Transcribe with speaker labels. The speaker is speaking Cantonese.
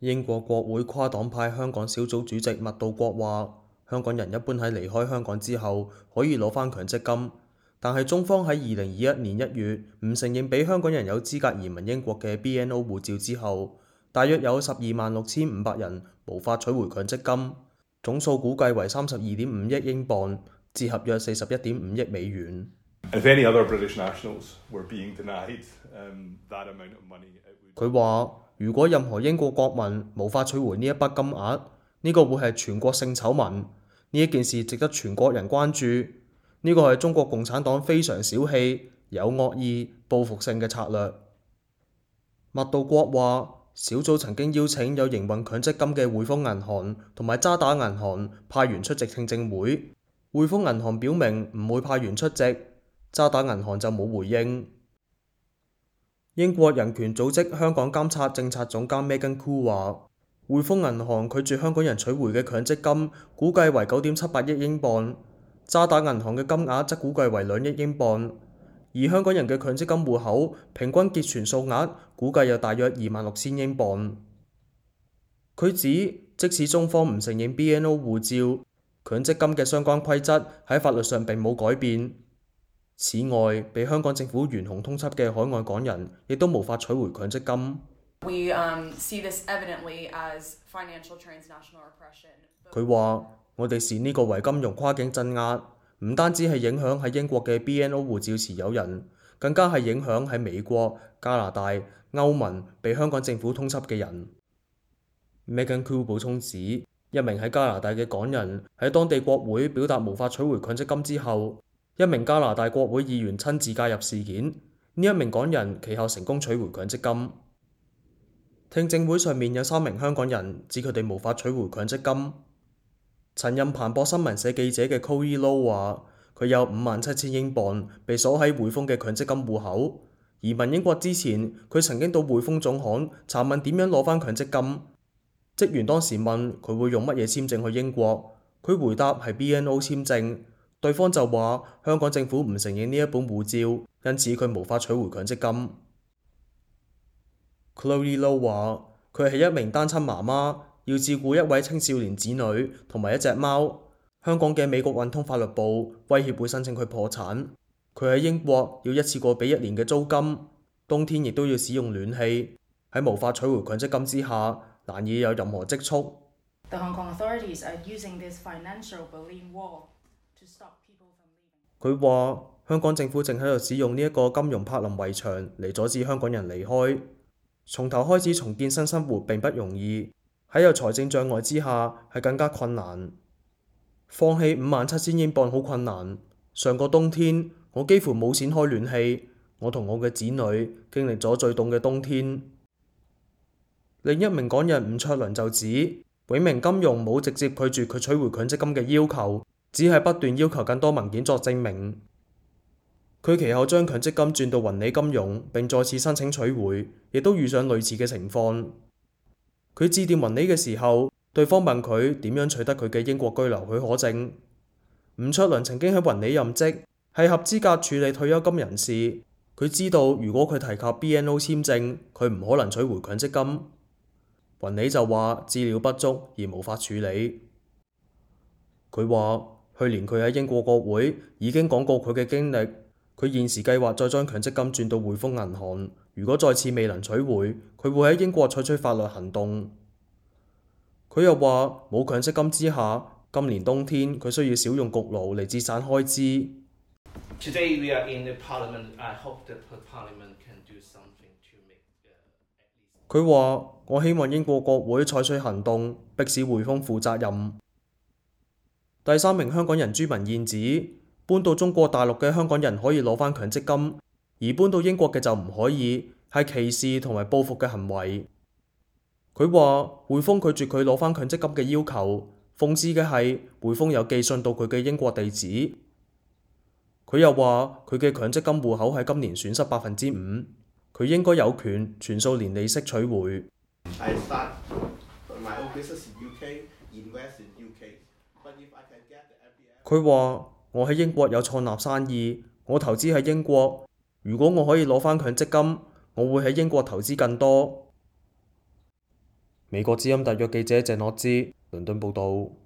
Speaker 1: 英國國會跨黨派香港小組主席麥道國話：香港人一般喺離開香港之後可以攞返強積金，但係中方喺2021年1月唔承認俾香港人有資格移民英國嘅 BNO 護照之後，大約有126500人無法取回強積金，總數估計為32.5億英鎊，折合約41.5億美元。佢話：如果任何英國國民無法取回呢一筆金額，呢個會係全國性醜聞。呢一件事值得全國人關注。呢個係中國共產黨非常小氣、有惡意、報復性嘅策略。麥道國話：小組曾經邀請有營運強積金嘅匯豐銀行同埋渣打銀行派員出席聽證會，匯豐銀行表明唔會派員出席，渣打銀行就冇回應。英國人權組織香港監察政策總監 Megan Khoo 話：匯豐銀行拒絕香港人取回嘅強積金估計為9.78億英鎊，渣打銀行嘅金額則估計為2億英鎊，而香港人嘅強積金戶口平均結存數額估計有大約26,000英鎊。佢指，即使中方唔承認 BNO 護照，強積金嘅相關規則喺法律上並冇改變。此外，被香港政府懸紅通緝嘅海外港人亦都無法取回強積金。佢話：我哋視呢個為金融跨境鎮壓，唔單止係影響喺英國嘅 BNO 護照持有人，更加係影響喺美國、加拿大、歐盟被香港政府通緝嘅人。Megan Khoo 補充指，一名喺加拿大嘅港人喺當地國會表達無法取回強積金之後，一名加拿大國會議員親自介入事件，呢一名港人其後成功取回強積金。聽證會上面有3名香港人指佢哋無法取回強積金。曾任彭博新聞社記者嘅 Chloe Low 話：佢有57,000英鎊被鎖喺匯豐嘅強積金戶口。移民英國之前，佢曾經到匯豐總行查問點樣攞返強積金。職員當時問佢會用乜嘢簽證去英國，佢回答係 BNO 簽證。對方就話香港政府唔承認呢一本護照，因此佢無法取回強積金。Chloe Low 話：佢係一名單親媽媽，要照顧一位青少年子女同埋一隻貓。香港嘅美國運通法律部威脅會申請佢破產。佢喺英國要一次過俾1年嘅租金，冬天亦都要使用暖氣。喺無法取回強積金之下，難以有任何積蓄。佢話：香港政府正喺度使用呢一個金融柏林圍牆嚟阻止香港人離開。從頭開始重建新生活並不容易，喺有財政障礙之下係更加困難。放棄57,000英鎊好困難。上個冬天我幾乎冇錢開暖氣，我同我嘅子女經歷咗最凍嘅冬天。另一名港人伍卓良就指，永明金融冇直接拒絕佢取回強積金嘅要求，只係不斷要求更多文件作證明。佢其後將強積金轉到雲理金融並再次申請取回，亦都遇上類似嘅情況。佢致電雲理嘅時候，對方問佢點樣取得佢嘅英國居留許可證。伍卓良曾經喺雲理任職，係合資格處理退休金人士。佢知道如果佢提及 BNO 簽證，佢唔可能取回強積金。雲理就話資料不足而無法處理。佢話去年佢喺英國國會已經講過佢嘅經歷。佢現時計劃再將強積金轉到匯豐銀行，如果再次未能取回，佢會喺英國採取法律行動。佢又話冇強積金之下，今年冬天佢需要少用焗爐嚟節省開支。佢話：我希望英國國會採取行動，迫使匯豐負責任。第3名香港人朱文燕指，搬到中國大陸嘅香港人可以攞返強積金，而搬到英國嘅就唔可以，係歧視同埋報復嘅行為。佢話匯豐拒絕佢攞返強積金嘅要求，諷刺嘅係匯豐有寄信到佢嘅英國地址。佢又話佢嘅強積金戶口喺今年損失5%，佢應該有權全數連利息取回。佢話：我喺英國有創立生意，我投資喺英國。如果我可以攞返強積金，我會喺英國投資更多。美國之音特約記者鄭樂之倫敦報導。